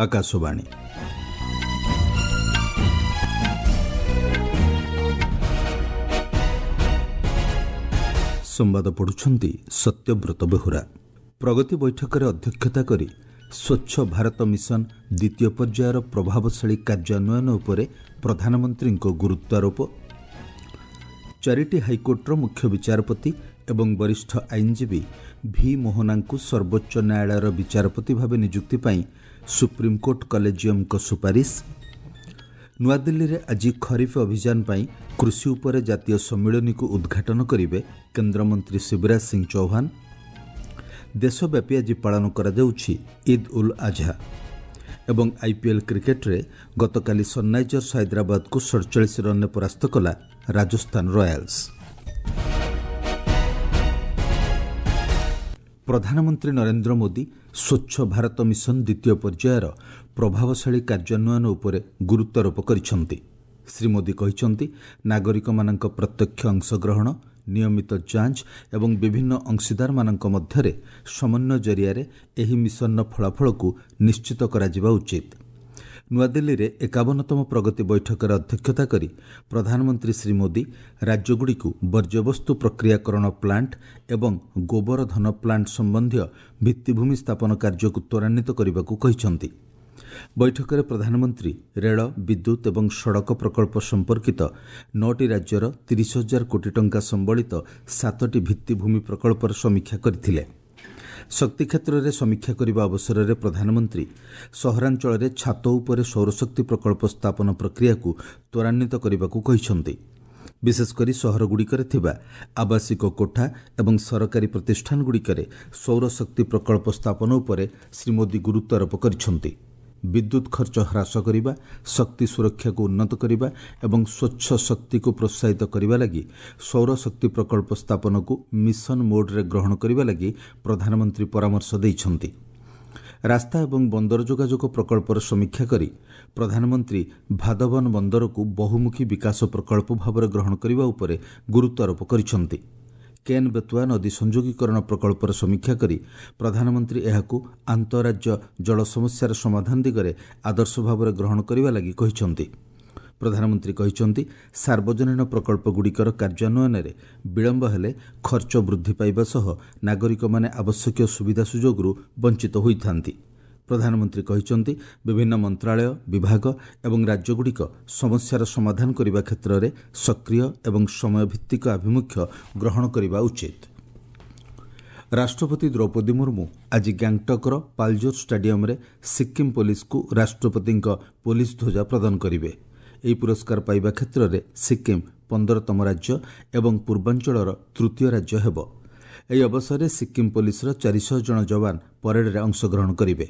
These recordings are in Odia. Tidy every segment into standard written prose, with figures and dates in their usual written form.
ଆକାଶବାଣୀ। ସମ୍ବାଦ ପଢ଼ୁଛନ୍ତି ସତ୍ୟବ୍ରତ ବେହୁରା। ପ୍ରଗତି ବୈଠକରେ ଅଧ୍ୟକ୍ଷତା କରି ସ୍ୱଚ୍ଛ ଭାରତ ମିଶନ ଦ୍ୱିତୀୟ ପର୍ଯ୍ୟାୟର ପ୍ରଭାବଶାଳୀ କାର୍ଯ୍ୟାନ୍ୱୟନ ଉପରେ ପ୍ରଧାନମନ୍ତ୍ରୀଙ୍କ ଗୁରୁତ୍ୱାରୋପ। ଚାରିଟି ହାଇକୋର୍ଟର ମୁଖ୍ୟ ବିଚାରପତି ଏବଂ ବରିଷ୍ଠ ଆଇନଜୀବୀ ଭି ମୋହନାଙ୍କୁ ସର୍ବୋଚ୍ଚ ନ୍ୟାୟାଳୟର ବିଚାରପତି ଭାବେ ନିଯୁକ୍ତି ପାଇଁ ସୁପ୍ରିମକୋର୍ଟ କଲେଜିୟମଙ୍କ ସୁପାରିଶ। ନୂଆଦିଲ୍ଲୀରେ ଆଜି ଖରିଫ ଅଭିଯାନ ପାଇଁ କୃଷି ଉପରେ ଜାତୀୟ ସମ୍ମିଳନୀକୁ ଉଦ୍ଘାଟନ କରିବେ କେନ୍ଦ୍ରମନ୍ତ୍ରୀ ଶିବରାଜ ସିଂ ଚୌହାନ। ଦେଶବ୍ୟାପୀ ଆଜି ପାଳନ କରାଯାଉଛି ଇଦ୍ ଉଲ୍ ଆଝା। ଏବଂ ଆଇପିଏଲ୍ କ୍ରିକେଟରେ ଗତକାଲି ସନ୍ରାଇଜର୍ସ ହାଇଦ୍ରାବାଦକୁ 47 ରନ୍ରେ ପରାସ୍ତ କଲା ରାଜସ୍ଥାନ ରୟାଲ୍ସ। ପ୍ରଧାନମନ୍ତ୍ରୀ ନରେନ୍ଦ୍ର ମୋଦି ସ୍ୱଚ୍ଛ ଭାରତ ମିଶନ ଦ୍ୱିତୀୟ ପର୍ଯ୍ୟାୟର ପ୍ରଭାବଶାଳୀ କାର୍ଯ୍ୟାନ୍ୱୟନ ଉପରେ ଗୁରୁତ୍ୱାରୋପ କରିଛନ୍ତି। ଶ୍ରୀ ମୋଦି କହିଛନ୍ତି, ନାଗରିକମାନଙ୍କ ପ୍ରତ୍ୟକ୍ଷ ଅଂଶଗ୍ରହଣ, ନିୟମିତ ଯାଞ୍ଚ ଏବଂ ବିଭିନ୍ନ ଅଂଶୀଦାରମାନଙ୍କ ମଧ୍ୟରେ ସମନ୍ୱୟ ଜରିଆରେ ଏହି ମିଶନର ଫଳାଫଳକୁ ନିଶ୍ଚିତ କରାଯିବା ଉଚିତ। ନୂଆଦିଲ୍ଲୀରେ 51ତମ ପ୍ରଗତି ବୈଠକରେ ଅଧ୍ୟକ୍ଷତା କରି ପ୍ରଧାନମନ୍ତ୍ରୀ ଶ୍ରୀ ମୋଦି ରାଜ୍ୟଗୁଡ଼ିକୁ ବର୍ଜ୍ୟବସ୍ତୁ ପ୍ରକ୍ରିୟାକରଣ ପ୍ଲାଣ୍ଟ ଏବଂ ଗୋବର ଧନ ପ୍ଲାଣ୍ଟ ସମ୍ବନ୍ଧୀୟ ଭିତ୍ତିଭୂମି ସ୍ଥାପନ କାର୍ଯ୍ୟକୁ ତ୍ୱରାନ୍ୱିତ କରିବାକୁ କହିଛନ୍ତି। ବୈଠକରେ ପ୍ରଧାନମନ୍ତ୍ରୀ ରେଳ, ବିଦ୍ୟୁତ୍ ଏବଂ ସଡ଼କ ପ୍ରକଳ୍ପ ସମ୍ପର୍କିତ 9ଟି ରାଜ୍ୟର 30 ହଜାର କୋଟି ଟଙ୍କା ସମ୍ବଳିତ 7ଟି ଭିତ୍ତିଭୂମି ପ୍ରକଳ୍ପର ସମୀକ୍ଷା କରିଥିଲେ। ଶକ୍ତି କ୍ଷେତ୍ରରେ ସମୀକ୍ଷା କରିବା ଅବସରରେ ପ୍ରଧାନମନ୍ତ୍ରୀ ସହରାଞ୍ଚଳରେ ଛାତ ଉପରେ ସୌରଶକ୍ତି ପ୍ରକଳ୍ପ ସ୍ଥାପନ ପ୍ରକ୍ରିୟାକୁ ତ୍ୱରାନ୍ୱିତ କରିବାକୁ କହିଛନ୍ତି। ବିଶେଷକରି ସହରଗୁଡ଼ିକରେ ଥିବା ଆବାସିକ କୋଠା ଏବଂ ସରକାରୀ ପ୍ରତିଷ୍ଠାନଗୁଡ଼ିକରେ ସୌରଶକ୍ତି ପ୍ରକଳ୍ପ ସ୍ଥାପନ ଉପରେ ଶ୍ରୀ ମୋଦି ଗୁରୁତ୍ୱାରୋପ କରିଛନ୍ତି। ବିଦ୍ୟୁତ୍ ଖର୍ଚ୍ଚ ହ୍ରାସ କରିବା, ଶକ୍ତି ସୁରକ୍ଷାକୁ ଉନ୍ନତ କରିବା ଏବଂ ସ୍ୱଚ୍ଛ ଶକ୍ତିକୁ ପ୍ରୋତ୍ସାହିତ କରିବା ଲାଗି ସୌରଶକ୍ତି ପ୍ରକଳ୍ପ ସ୍ଥାପନକୁ ମିଶନ ମୋଡ୍ରେ ଗ୍ରହଣ କରିବା ଲାଗି ପ୍ରଧାନମନ୍ତ୍ରୀ ପରାମର୍ଶ ଦେଇଛନ୍ତି। ରାସ୍ତା ଏବଂ ବନ୍ଦର ଯୋଗାଯୋଗ ପ୍ରକଳ୍ପର ସମୀକ୍ଷା କରି ପ୍ରଧାନମନ୍ତ୍ରୀ ଭାଦବନ ବନ୍ଦରକୁ ବହୁମୁଖୀ ବିକାଶ ପ୍ରକଳ୍ପ ଭାବରେ ଗ୍ରହଣ କରିବା ଉପରେ ଗୁରୁତ୍ୱାରୋପ କରିଛନ୍ତି। କେନ୍ ବେତୁଆ ନଦୀ ସଂଯୋଗୀକରଣ ପ୍ରକଳ୍ପର ସମୀକ୍ଷା କରି ପ୍ରଧାନମନ୍ତ୍ରୀ ଏହାକୁ ଆନ୍ତଃରାଜ୍ୟ ଜଳ ସମସ୍ୟାର ସମାଧାନ ଦିଗରେ ଆଦର୍ଶ ଭାବରେ ଗ୍ରହଣ କରିବା ଲାଗି କହିଛନ୍ତି। ପ୍ରଧାନମନ୍ତ୍ରୀ କହିଛନ୍ତି, ସାର୍ବଜନୀନ ପ୍ରକଳ୍ପଗୁଡ଼ିକର କାର୍ଯ୍ୟାନ୍ୱୟନରେ ବିଳମ୍ବ ହେଲେ ଖର୍ଚ୍ଚ ବୃଦ୍ଧି ପାଇବା ସହ ନାଗରିକମାନେ ଆବଶ୍ୟକୀୟ ସୁବିଧା ସୁଯୋଗରୁ ବଞ୍ଚିତ ହୋଇଥାନ୍ତି। ପ୍ରଧାନମନ୍ତ୍ରୀ କହିଛନ୍ତି, ବିଭିନ୍ନ ମନ୍ତ୍ରାଳୟ, ବିଭାଗ ଏବଂ ରାଜ୍ୟଗୁଡ଼ିକ ସମସ୍ୟାର ସମାଧାନ କରିବା କ୍ଷେତ୍ରରେ ସକ୍ରିୟ ଏବଂ ସମୟଭିତ୍ତିକ ଆଭିମୁଖ୍ୟ ଗ୍ରହଣ କରିବା ଉଚିତ। ରାଷ୍ଟ୍ରପତି ଦ୍ରୌପଦୀ ମୁର୍ମୁ ଆଜି ଗ୍ୟାଙ୍ଗଟକ୍ର ପାଲଜୋର ଷ୍ଟାଡିୟମରେ ସିକ୍କିମ୍ ପୋଲିସକୁ ରାଷ୍ଟ୍ରପତିଙ୍କ ପୋଲିସ ଧ୍ୱଜା ପ୍ରଦାନ କରିବେ। ଏହି ପୁରସ୍କାର ପାଇବା କ୍ଷେତ୍ରରେ ସିକ୍କିମ୍ 15ତମ ରାଜ୍ୟ ଏବଂ ପୂର୍ବାଞ୍ଚଳର ତୃତୀୟ ରାଜ୍ୟ ହେବ। ଏହି ଅବସରରେ ସିକ୍କିମ୍ ପୋଲିସର 400 ଜଣ ଯବାନ ପରେଡରେ ଅଂଶଗ୍ରହଣ କରିବେ।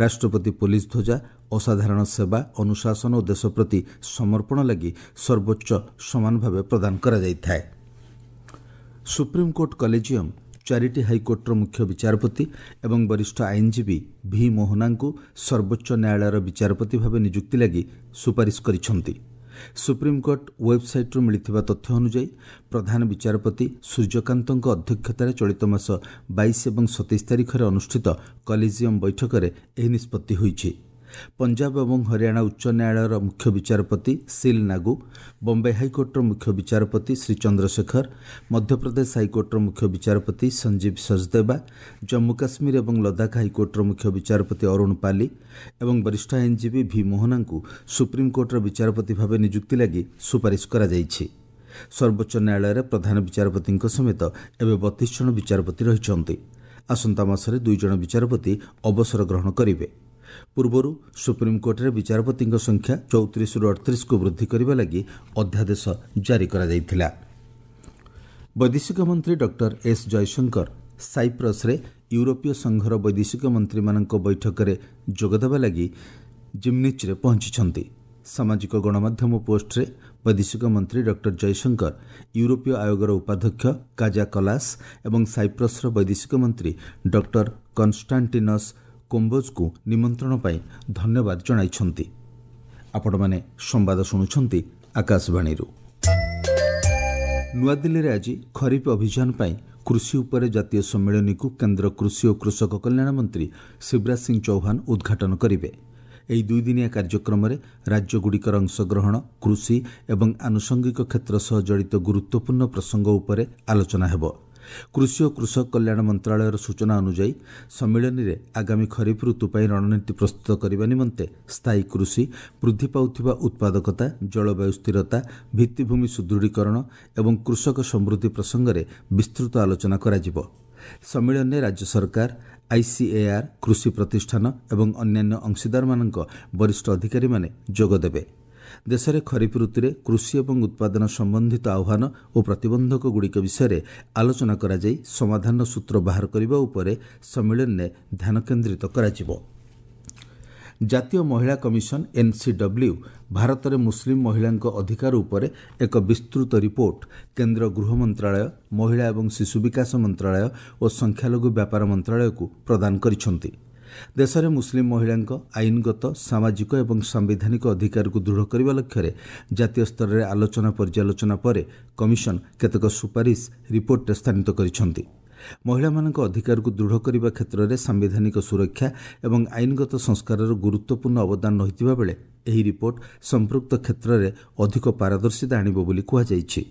ରାଷ୍ଟ୍ରପତି ପୋଲିସ ଧ୍ୱଜା ଅସାଧାରଣ ସେବା, ଅନୁଶାସନ ଓ ଦେଶ ପ୍ରତି ସମର୍ପଣ ଲାଗି ସର୍ବୋଚ୍ଚ ସମାନ ଭାବେ ପ୍ରଦାନ କରାଯାଇଥାଏ। ସୁପ୍ରିମକୋର୍ଟ କଲେଜିୟମ ଚାରିଟି ହାଇକୋର୍ଟର ମୁଖ୍ୟ ବିଚାରପତି ଏବଂ ବରିଷ୍ଠ ଆଇନଜୀବୀ ଭି ମୋହନାଙ୍କୁ ସର୍ବୋଚ୍ଚ ନ୍ୟାୟାଳୟର ବିଚାରପତି ଭାବେ ନିଯୁକ୍ତି ଲାଗି ସୁପାରିଶ କରିଛନ୍ତି। ସୁପ୍ରିମକୋର୍ଟ ୱେବ୍ସାଇଟ୍ରୁ ମିଳିଥିବା ତଥ୍ୟ ଅନୁଯାୟୀ ପ୍ରଧାନ ବିଚାରପତି ସୂର୍ଯ୍ୟକାନ୍ତଙ୍କ ଅଧ୍ୟକ୍ଷତାରେ ଚଳିତ ମାସ 22 ଏବଂ 27 ତାରିଖରେ ଅନୁଷ୍ଠିତ କଲେଜିୟମ ବୈଠକରେ ଏହି ନିଷ୍ପତ୍ତି ହୋଇଛି। ପଞ୍ଜାବ ଏବଂ ହରିୟାଣା ଉଚ୍ଚ ନ୍ୟାୟାଳୟର ମୁଖ୍ୟ ବିଚାରପତି ସିଲ୍ ନାଗୁ, ବମ୍ବେ ହାଇକୋର୍ଟର ମୁଖ୍ୟ ବିଚାରପତି ଶ୍ରୀ ଚନ୍ଦ୍ରଶେଖର, ମଧ୍ୟପ୍ରଦେଶ ହାଇକୋର୍ଟର ମୁଖ୍ୟ ବିଚାରପତି ସଞ୍ଜୀବ ସଚଦେବା, ଜମ୍ମୁ କାଶ୍ମୀର ଏବଂ ଲଦାଖ ହାଇକୋର୍ଟର ମୁଖ୍ୟ ବିଚାରପତି ଅରୁଣ ପାଲି ଏବଂ ବରିଷ୍ଠ ଆଇନଜୀବୀ ଭି ମୋହନାଙ୍କୁ ସୁପ୍ରିମକୋର୍ଟର ବିଚାରପତି ଭାବେ ନିଯୁକ୍ତି ଲାଗି ସୁପାରିଶ କରାଯାଇଛି। ସର୍ବୋଚ୍ଚ ନ୍ୟାୟାଳୟରେ ପ୍ରଧାନ ବିଚାରପତିଙ୍କ ସମେତ ଏବେ 32 ଜଣ ବିଚାରପତି ରହିଛନ୍ତି। ଆସନ୍ତା ମାସରେ 2 ଜଣ ବିଚାରପତି ଅବସର ଗ୍ରହଣ କରିବେ। ପୂର୍ବରୁ ସୁପ୍ରିମକୋର୍ଟରେ ବିଚାରପତିଙ୍କ ସଂଖ୍ୟା 34ରୁ 38କୁ ବୃଦ୍ଧି କରିବା ଲାଗି ଅଧ୍ୟାଦେଶ ଜାରି କରାଯାଇଥିଲା। ବୈଦେଶିକ ମନ୍ତ୍ରୀ ଡକ୍ଟର ଏସ୍ ଜୟଶଙ୍କର ସାଇପ୍ରସରେ ୟୁରୋପୀୟ ସଂଘର ବୈଦେଶିକ ମନ୍ତ୍ରୀମାନଙ୍କ ବୈଠକରେ ଯୋଗଦେବା ଲାଗି ଜିମ୍ନିଚ୍ରେ ପହଞ୍ଚିଛନ୍ତି। ସାମାଜିକ ଗଣମାଧ୍ୟମ ପୋଷ୍ଟରେ ବୈଦେଶିକ ମନ୍ତ୍ରୀ ଡକ୍ଟର ଜୟଶଙ୍କର ୟୁରୋପୀୟ ଆୟୋଗର ଉପାଧ୍ୟକ୍ଷ କାଜା କଲାସ ଏବଂ ସାଇପ୍ରସର ବୈଦେଶିକ ମନ୍ତ୍ରୀ ଡକ୍ଟର କନଷ୍ଟାଣ୍ଟିନସ୍ କୋମ୍ବୋଜଙ୍କୁ ନିମନ୍ତ୍ରଣ ପାଇଁ ଧନ୍ୟବାଦ ଜଣାଇଛନ୍ତି। ଆପଣମାନେ ସମ୍ବାଦ ଶୁଣୁଛନ୍ତି ଆକାଶବାଣୀରୁ। ନୂଆଦିଲ୍ଲୀରେ ଆଜି ଖରିଫ ଅଭିଯାନ ପାଇଁ କୃଷି ଉପରେ ଜାତୀୟ ସମ୍ମିଳନୀକୁ କେନ୍ଦ୍ର କୃଷି ଓ କୃଷକ କଲ୍ୟାଣ ମନ୍ତ୍ରୀ ଶିବରାଜ ସିଂ ଚୌହାନ ଉଦ୍ଘାଟନ କରିବେ। ଏହି ଦୁଇଦିନିଆ କାର୍ଯ୍ୟକ୍ରମରେ ରାଜ୍ୟଗୁଡ଼ିକର ଅଂଶଗ୍ରହଣ, କୃଷି ଏବଂ ଆନୁଷଙ୍ଗିକ କ୍ଷେତ୍ର ସହ ଜଡ଼ିତ ଗୁରୁତ୍ୱପୂର୍ଣ୍ଣ ପ୍ରସଙ୍ଗ ଉପରେ ଆଲୋଚନା ହେବ। କୃଷି ଓ କୃଷକ କଲ୍ୟାଣ ମନ୍ତ୍ରଣାଳୟର ସୂଚନା ଅନୁଯାୟୀ ସମ୍ମିଳନୀରେ ଆଗାମୀ ଖରିଫ ଋତୁ ପାଇଁ ରଣନୀତି ପ୍ରସ୍ତୁତ କରିବା ନିମନ୍ତେ ସ୍ଥାୟୀ କୃଷି, ବୃଦ୍ଧି ପାଉଥିବା ଉତ୍ପାଦକତା, ଜଳବାୟୁ ସ୍ଥିରତା, ଭିତ୍ତିଭୂମି ସୁଦୃଢ଼ୀକରଣ ଏବଂ କୃଷକ ସମୃଦ୍ଧି ପ୍ରସଙ୍ଗରେ ବିସ୍ତୃତ ଆଲୋଚନା କରାଯିବ। ସମ୍ମିଳନୀରେ ରାଜ୍ୟ ସରକାର, ଆଇସିଏଆର୍, କୃଷି ପ୍ରତିଷ୍ଠାନ ଏବଂ ଅନ୍ୟାନ୍ୟ ଅଂଶୀଦାରମାନଙ୍କ ବରିଷ୍ଠ ଅଧିକାରୀମାନେ ଯୋଗଦେବେ। ଦେଶରେ ଖରିଫ ଋତୁରେ କୃଷି ଏବଂ ଉତ୍ପାଦନ ସମ୍ବନ୍ଧିତ ଆହ୍ୱାନ ଓ ପ୍ରତିବନ୍ଧକଗୁଡ଼ିକ ବିଷୟରେ ଆଲୋଚନା କରାଯାଇ ସମାଧାନର ସୂତ୍ର ବାହାର କରିବା ଉପରେ ସମ୍ମିଳନୀରେ ଧ୍ୟାନ କେନ୍ଦ୍ରିତ କରାଯିବ। ଜାତୀୟ ମହିଳା କମିଶନ ଏନ୍ସିଡବ୍ଲ୍ୟୁ ଭାରତରେ ମୁସଲିମ ମହିଳାଙ୍କ ଅଧିକାର ଉପରେ ଏକ ବିସ୍ତୃତ ରିପୋର୍ଟ କେନ୍ଦ୍ର ଗୃହ ମନ୍ତ୍ରଣାଳୟ, ମହିଳା ଏବଂ ଶିଶୁ ବିକାଶ ମନ୍ତ୍ରଣାଳୟ ଓ ସଂଖ୍ୟାଲଘୁ ବ୍ୟାପାର ମନ୍ତ୍ରଣାଳୟକୁ ପ୍ରଦାନ କରିଛନ୍ତି। ଦେଶରେ ମୁସଲିମ ମହିଳାଙ୍କ ଆଇନଗତ, ସାମାଜିକ ଏବଂ ସାମ୍ବିଧାନିକ ଅଧିକାରକୁ ଦୃଢ଼ କରିବା ଲକ୍ଷ୍ୟରେ ଜାତୀୟ ସ୍ତରରେ ଆଲୋଚନା ପର୍ଯ୍ୟାଲୋଚନା ପରେ କମିଶନ କେତେକ ସୁପାରିଶ ରିପୋର୍ଟରେ ସ୍ଥାନିତ କରିଛନ୍ତି। ମହିଳାମାନଙ୍କ ଅଧିକାରକୁ ଦୃଢ଼ କରିବା କ୍ଷେତ୍ରରେ ସାମ୍ବିଧାନିକ ସୁରକ୍ଷା ଏବଂ ଆଇନଗତ ସଂସ୍କାରର ଗୁରୁତ୍ୱପୂର୍ଣ୍ଣ ଅବଦାନ ରହିଥିବା ବେଳେ ଏହି ରିପୋର୍ଟ ସମ୍ପୃକ୍ତ କ୍ଷେତ୍ରରେ ଅଧିକ ପାରଦର୍ଶିତା ଆଣିବ ବୋଲି କୁହାଯାଇଛି।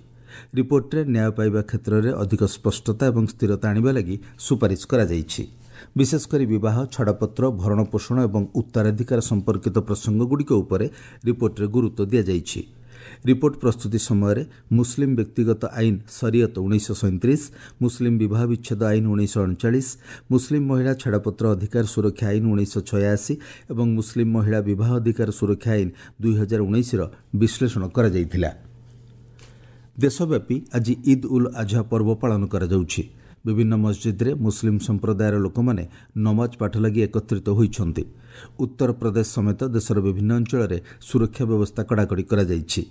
ରିପୋର୍ଟରେ ନ୍ୟାୟ ପାଇବା କ୍ଷେତ୍ରରେ ଅଧିକ ସ୍ପଷ୍ଟତା ଏବଂ ସ୍ଥିରତା ଆଣିବା ଲାଗି ସୁପାରିଶ କରାଯାଇଛି। ବିଶେଷକରି ବିବାହ, ଛାଡ଼ପତ୍ର, ଭରଣପୋଷଣ ଏବଂ ଉତ୍ତରାଧିକାର ସମ୍ପର୍କିତ ପ୍ରସଙ୍ଗଗୁଡ଼ିକ ଉପରେ ରିପୋର୍ଟରେ ଗୁରୁତ୍ୱ ଦିଆଯାଇଛି। ରିପୋର୍ଟ ପ୍ରସ୍ତୁତି ସମୟରେ ମୁସଲିମ ବ୍ୟକ୍ତିଗତ ଆଇନ ସରିୟତ 1937, ମୁସଲିମ ବିବାହ ବିଚ୍ଛେଦ ଆଇନ 1939, ମୁସଲିମ ମହିଳା ଛାଡ଼ପତ୍ର ଅଧିକାର ସୁରକ୍ଷା ଆଇନ 1986 ଏବଂ ମୁସଲିମ ମହିଳା ବିବାହ ଅଧିକାର ସୁରକ୍ଷା ଆଇନ 2019ର ବିଶ୍ଳେଷଣ କରାଯାଇଥିଲା। ଦେଶବ୍ୟାପୀ ଆଜି ଇଦ୍ ଉଲ୍ ଆଝା ପର୍ବ ପାଳନ କରାଯାଉଛି। ବିଭିନ୍ନ ମସଜିଦ୍ରେ ମୁସଲିମ ସମ୍ପ୍ରଦାୟର ଲୋକମାନେ ନମାଜ ପାଠ ଲାଗି ଏକତ୍ରିତ ହୋଇଛନ୍ତି। ଉତ୍ତରପ୍ରଦେଶ ସମେତ ଦେଶର ବିଭିନ୍ନ ଅଞ୍ଚଳରେ ସୁରକ୍ଷା ବ୍ୟବସ୍ଥା କଡ଼ାକଡ଼ି କରାଯାଇଛି।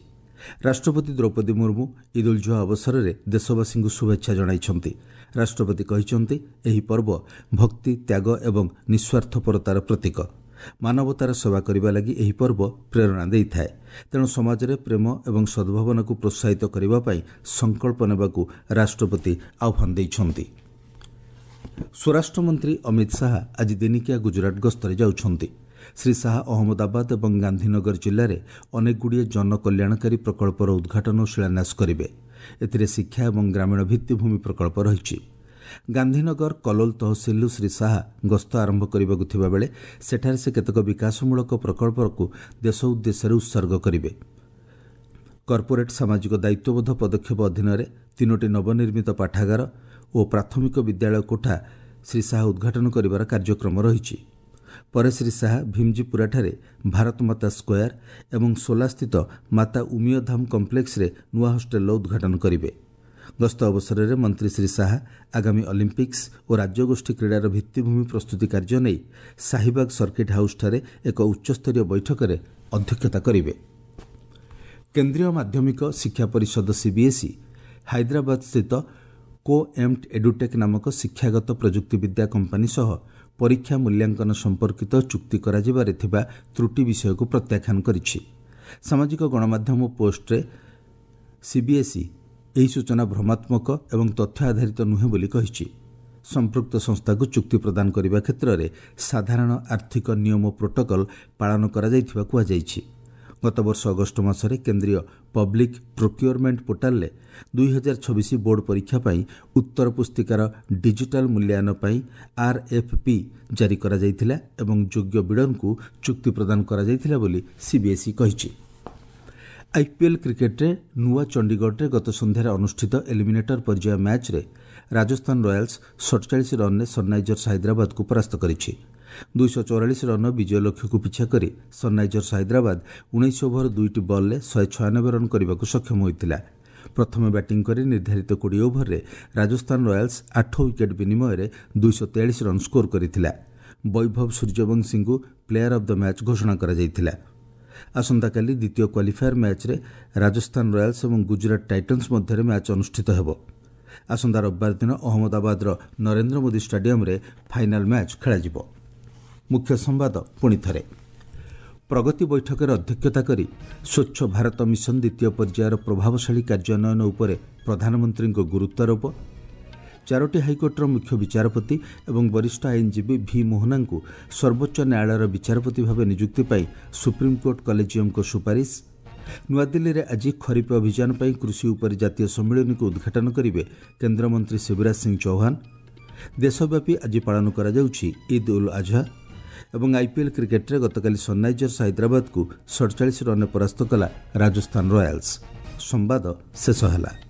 ରାଷ୍ଟ୍ରପତି ଦ୍ରୌପଦୀ ମୁର୍ମୁ ଇଦ୍ ଉଲ୍ ଜୁହା ଅବସରରେ ଦେଶବାସୀଙ୍କୁ ଶୁଭେଚ୍ଛା ଜଣାଇଛନ୍ତି। ରାଷ୍ଟ୍ରପତି କହିଛନ୍ତି, ଏହି ପର୍ବ ଭକ୍ତି, ତ୍ୟାଗ ଏବଂ ନିଃସ୍ୱାର୍ଥପରତାର ପ୍ରତୀକ। ମାନବତାର ସେବା କରିବା ଲାଗି ଏହି ପର୍ବ ପ୍ରେରଣା ଦେଇଥାଏ। ତେଣୁ ସମାଜରେ ପ୍ରେମ ଏବଂ ସଦ୍ଭାବନାକୁ ପ୍ରୋତ୍ସାହିତ କରିବା ପାଇଁ ସଂକଳ୍ପ ନେବାକୁ ରାଷ୍ଟ୍ରପତି ଆହ୍ୱାନ ଦେଇଛନ୍ତି। ସ୍ୱରାଷ୍ଟ୍ରମନ୍ତ୍ରୀ ଅମିତ ଶାହା ଆଜି ଦିନିକିଆ ଗୁଜରାଟ ଗସ୍ତରେ ଯାଉଛନ୍ତି। ଶ୍ରୀ ଶାହା ଅହମ୍ମଦାବାଦ ଏବଂ ଗାନ୍ଧୀନଗର ଜିଲ୍ଲାରେ ଅନେକଗୁଡ଼ିଏ ଜନକଲ୍ୟାଣକାରୀ ପ୍ରକଳ୍ପର ଉଦ୍ଘାଟନ ଓ ଶିଳାନ୍ୟାସ କରିବେ। ଏଥିରେ ଶିକ୍ଷା ଏବଂ ଗ୍ରାମୀଣ ଭିତ୍ତିଭୂମି ପ୍ରକଳ୍ପ ରହିଛି। ଗାନ୍ଧୀନଗର କଲୋଲ ତହସିଲରୁ ଶ୍ରୀ ଶାହା ଗସ୍ତ ଆରମ୍ଭ କରିବାକୁ ଥିବାବେଳେ ସେଠାରେ ସେ କେତେକ ବିକାଶମୂଳକ ପ୍ରକଳ୍ପକୁ ଦେଶ ଉଦ୍ଦେଶ୍ୟରେ ଉତ୍ସର୍ଗ କରିବେ। କର୍ପୋରେଟ୍ ସାମାଜିକ ଦାୟିତ୍ୱବୋଧ ପଦକ୍ଷେପ ଅଧୀନରେ 3ଟି ନବନିର୍ମିତ ପାଠାଗାର ଓ ପ୍ରାଥମିକ ବିଦ୍ୟାଳୟ କୋଠା ଶ୍ରୀ ଶାହା ଉଦ୍ଘାଟନ କରିବାର କାର୍ଯ୍ୟକ୍ରମ ରହିଛି। ପରେ ଶ୍ରୀ ଶାହା ଭୀମଜୀପୁରାଠାରେ ଭାରତମାତା ସ୍କୋୟାର ଏବଂ ସୋଲାସ୍ଥିତ ମାତା ଉମିୟଧାମ କମ୍ପ୍ଲେକ୍ସରେ ନୂଆ ହଷ୍ଟେଲର ଉଦ୍ଘାଟନ କରିବେ। ଗସ୍ତ ଅବସରରେ ମନ୍ତ୍ରୀ ଶ୍ରୀ ଶାହା ଆଗାମୀ ଅଲିମ୍ପିକ୍ସ ଓ ରାଜ୍ୟଗୋଷ୍ଠୀ କ୍ରୀଡ଼ାର ଭିତ୍ତିଭୂମି ପ୍ରସ୍ତୁତି କାର୍ଯ୍ୟ ନେଇ ସାହିବାଗ ସର୍କିଟ୍ ହାଉସ୍ଠାରେ ଏକ ଉଚ୍ଚସ୍ତରୀୟ ବୈଠକରେ ଅଧ୍ୟକ୍ଷତା କରିବେ। କେନ୍ଦ୍ରୀୟ ମାଧ୍ୟମିକ ଶିକ୍ଷା ପରିଷଦ ସିବିଏସ୍ଇ ହାଇଦ୍ରାବାଦସ୍ଥିତ କୋ ଏମ୍ଟ ଏଡୁଟେକ୍ ନାମକ ଶିକ୍ଷାଗତ ପ୍ରଯୁକ୍ତିବିଦ୍ୟା କମ୍ପାନୀ ସହ ପରୀକ୍ଷା ମୂଲ୍ୟାଙ୍କନ ସମ୍ପର୍କିତ ଚୁକ୍ତି କରାଯିବାରେ ଥିବା ତ୍ରୁଟି ବିଷୟକୁ ପ୍ରତ୍ୟାଖ୍ୟାନ କରିଛି। ସାମାଜିକ ଗଣମାଧ୍ୟମ ପୋଷ୍ଟରେ ସିବିଏସ୍ଇ ଏହି ସୂଚନା ଭ୍ରମାତ୍ମକ ଏବଂ ତଥ୍ୟ ଆଧାରିତ ନୁହେଁ ବୋଲି କହିଛି। ସମ୍ପୃକ୍ତ ସଂସ୍ଥାକୁ ଚୁକ୍ତି ପ୍ରଦାନ କରିବା କ୍ଷେତ୍ରରେ ସାଧାରଣ ଆର୍ଥିକ ନିୟମ ପ୍ରୋଟୋକଲ୍ ପାଳନ କରାଯାଇଥିବା କୁହାଯାଇଛି। ଗତବର୍ଷ ଅଗଷ୍ଟ ମାସରେ କେନ୍ଦ୍ରୀୟ ପବ୍ଲିକ୍ ପ୍ରୋକ୍ୟୁରମେଣ୍ଟ ପୋର୍ଟାଲରେ 2026 ବୋର୍ଡ ପରୀକ୍ଷା ପାଇଁ ଉତ୍ତର ପୁସ୍ତିକାର ଡିଜିଟାଲ ମୂଲ୍ୟାୟନ ପାଇଁ ଆର୍ଏଫ୍ପି ଜାରି କରାଯାଇଥିଲା ଏବଂ ଯୋଗ୍ୟ ବିଡରଙ୍କୁ ଚୁକ୍ତି ପ୍ରଦାନ କରାଯାଇଥିଲା ବୋଲି ସିବିଏସ୍ଇ କହିଛି। ଆଇପିଏଲ୍ କ୍ରିକେଟ୍ରେ ନୂଆ ଚଣ୍ଡିଗଡ଼ରେ ଗତ ସନ୍ଧ୍ୟାରେ ଅନୁଷ୍ଠିତ ଏଲିମିନେଟର ପର୍ଯ୍ୟାୟ ମ୍ୟାଚ୍ରେ ରାଜସ୍ଥାନ ରୟାଲ୍ସ 47 ରନ୍ରେ ସନ୍ରାଇଜର୍ସ ହାଇଦ୍ରାବାଦକୁ ପରାସ୍ତ କରିଛି। 244 ରନ୍ର ବିଜୟ ଲକ୍ଷ୍ୟକୁ ପିଛା କରି ସନ୍ରାଇଜର୍ସ ହାଇଦ୍ରାବାଦ 19 ଓଭର 2ଟି ବଲ୍ରେ 196 ରନ୍ କରିବାକୁ ସକ୍ଷମ ହୋଇଥିଲା। ପ୍ରଥମେ ବ୍ୟାଟିଂ କରି ନିର୍ଦ୍ଧାରିତ 20 ଓଭରରେ ରାଜସ୍ଥାନ ରୟାଲ୍ସ 8 ୱିକେଟ୍ ବିନିମୟରେ 243 ରନ୍ ସ୍କୋର କରିଥିଲା। ବୈଭବ ସୂର୍ଯ୍ୟବଂଶୀଙ୍କୁ ପ୍ଲେୟାର ଅଫ୍ the match ଘୋଷଣା କରାଯାଇଥିଲା। ଆସନ୍ତାକାଲି ଦ୍ୱିତୀୟ କ୍ୱାଲିଫାୟର ମ୍ୟାଚ୍ରେ ରାଜସ୍ଥାନ ରୟାଲ୍ସ ଏବଂ ଗୁଜରାଟ ଟାଇଟନ୍ସ ମଧ୍ୟରେ ମ୍ୟାଚ୍ ଅନୁଷ୍ଠିତ ହେବ। ଆସନ୍ତା ରବିବାର ଦିନ ଅହମ୍ମଦାବାଦର ନରେନ୍ଦ୍ର ମୋଦି ଷ୍ଟାଡିୟମ୍ରେ ଫାଇନାଲ୍ ମ୍ୟାଚ୍ ଖେଳାଯିବ। ମୁଖ୍ୟ ସମ୍ବାଦ ପୁଣି ଥରେ। ପ୍ରଗତି ବୈଠକରେ ଅଧ୍ୟକ୍ଷତା କରି ସ୍ୱଚ୍ଛ ଭାରତ ମିଶନ ଦ୍ୱିତୀୟ ପର୍ଯ୍ୟାୟର ପ୍ରଭାବଶାଳୀ କାର୍ଯ୍ୟାନ୍ୱୟନ ଉପରେ ପ୍ରଧାନମନ୍ତ୍ରୀଙ୍କ ଗୁରୁତ୍ୱାରୋପ। ଚାରୋଟି ହାଇକୋର୍ଟର ମୁଖ୍ୟ ବିଚାରପତି ଏବଂ ବରିଷ୍ଠ ଆଇନଜୀବୀ ଭି ମୋହନାଙ୍କୁ ସର୍ବୋଚ୍ଚ ନ୍ୟାୟାଳୟର ବିଚାରପତି ଭାବେ ନିଯୁକ୍ତି ପାଇଁ ସୁପ୍ରିମକୋର୍ଟ କଲେଜିୟମଙ୍କ ସୁପାରିଶ। ନୂଆଦିଲ୍ଲୀରେ ଆଜି ଖରିଫ ଅଭିଯାନ ପାଇଁ କୃଷି ଉପରେ ଜାତୀୟ ସମ୍ମିଳନୀକୁ ଉଦ୍ଘାଟନ କରିବେ କେନ୍ଦ୍ରମନ୍ତ୍ରୀ ଶିବରାଜ ସିଂ ଚୌହାନ। ଦେଶବ୍ୟାପୀ ଆଜି ପାଳନ କରାଯାଉଛି ଇଦ୍ ଉଲ୍ ଆଝା। ଏବଂ ଆଇପିଏଲ୍ କ୍ରିକେଟ୍ରେ ଗତକାଲି ସନ୍ରାଇଜର୍ସ ହାଇଦ୍ରାବାଦକୁ 47 ରନ୍ରେ ପରାସ୍ତ କଲା ରାଜସ୍ଥାନ ରୟାଲ୍ସ। ସମ୍ବାଦ ଶେଷ ହେଲା।